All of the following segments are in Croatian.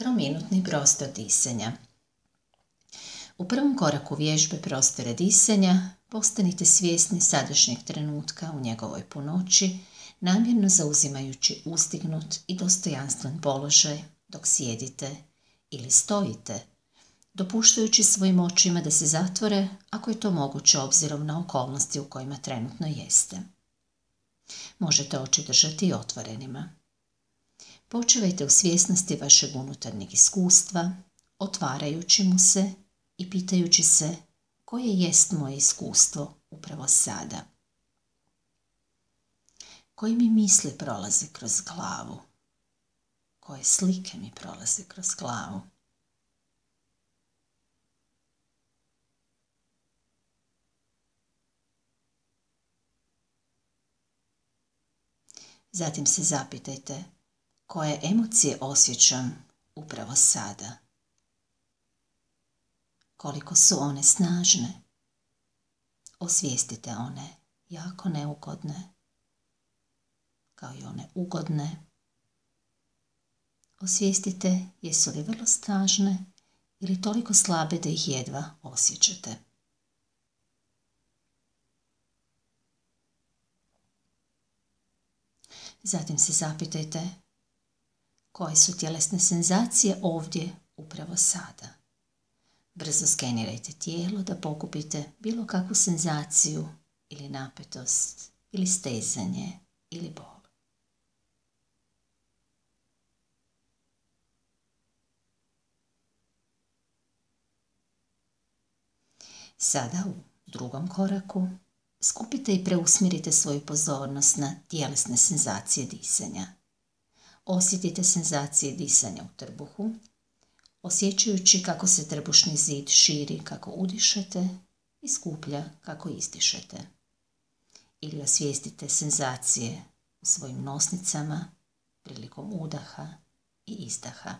Trominutni prostor disanja. U prvom koraku vježbe prostora disanja postanite svjesni sadašnjeg trenutka u njegovoj punoći, namjerno zauzimajući uzdignut i dostojanstven položaj dok sjedite ili stojite, dopuštajući svojim očima da se zatvore ako je to moguće obzirom na okolnosti u kojima trenutno jeste. Možete oči držati i otvorenima. Počivajte u svjesnosti vašeg unutarnjeg iskustva, otvarajući mu se i pitajući se koje jest moje iskustvo upravo sada. Koje mi misli prolaze kroz glavu? Koje slike mi prolaze kroz glavu? Zatim se zapitajte koje emocije osjećam upravo sada. Koliko su one snažne. Osvijestite one jako neugodne, kao i one ugodne. Osvijestite jesu li vrlo snažne ili toliko slabe da ih jedva osjećate. Zatim se zapitajte koje su tjelesne senzacije ovdje upravo sada. Brzo skenirajte tijelo da pokupite bilo kakvu senzaciju ili napetost ili stezanje ili bol. Sada u drugom koraku skupite i preusmjerite svoju pozornost na tjelesne senzacije disanja. Osjetite senzacije disanja u trbuhu, osjećajući kako se trbušni zid širi kako udišete i skuplja kako izdišete. Ili osvijestite senzacije u svojim nosnicama prilikom udaha i izdaha.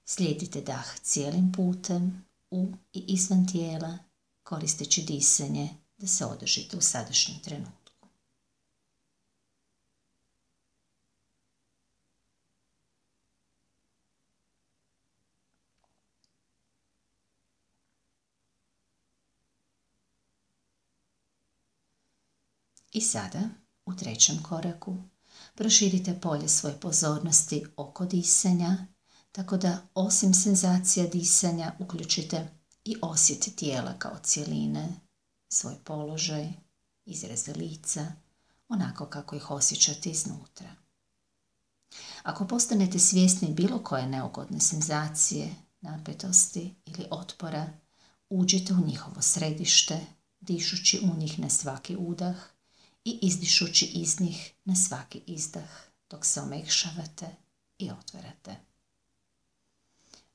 Slijedite dah cijelim putem u i izvan tijela, koristeći disanje da se održite u sadašnjem trenutku. I sada, u trećem koraku, proširite polje svoje pozornosti oko disanja, tako da osim senzacija disanja uključite i osjet tijela kao cjeline, svoj položaj, izraze lica, onako kako ih osjećate iznutra. Ako postanete svjesni bilo koje neugodne senzacije, napetosti ili otpora, uđite u njihovo središte, dišući u njih na svaki udah i izdišući iz njih na svaki izdah dok se omekšavate i otvarate.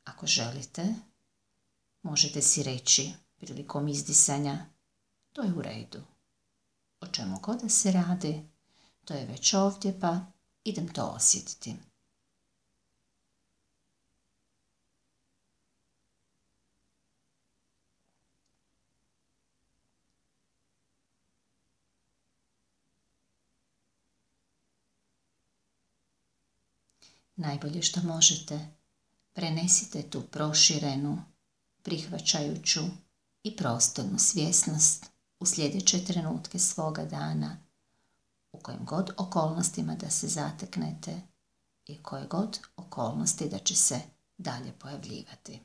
Ako želite, možete si reći prilikom izdisanja: to je u redu. O čemu god da se radi, to je već ovdje, pa idem to osjetiti. Najbolje što možete, prenesite tu proširenu, prihvaćajuću i prostornu svjesnost u sljedeće trenutke svoga dana, u kojim god okolnostima da se zateknete i koje god okolnosti da će se dalje pojavljivati.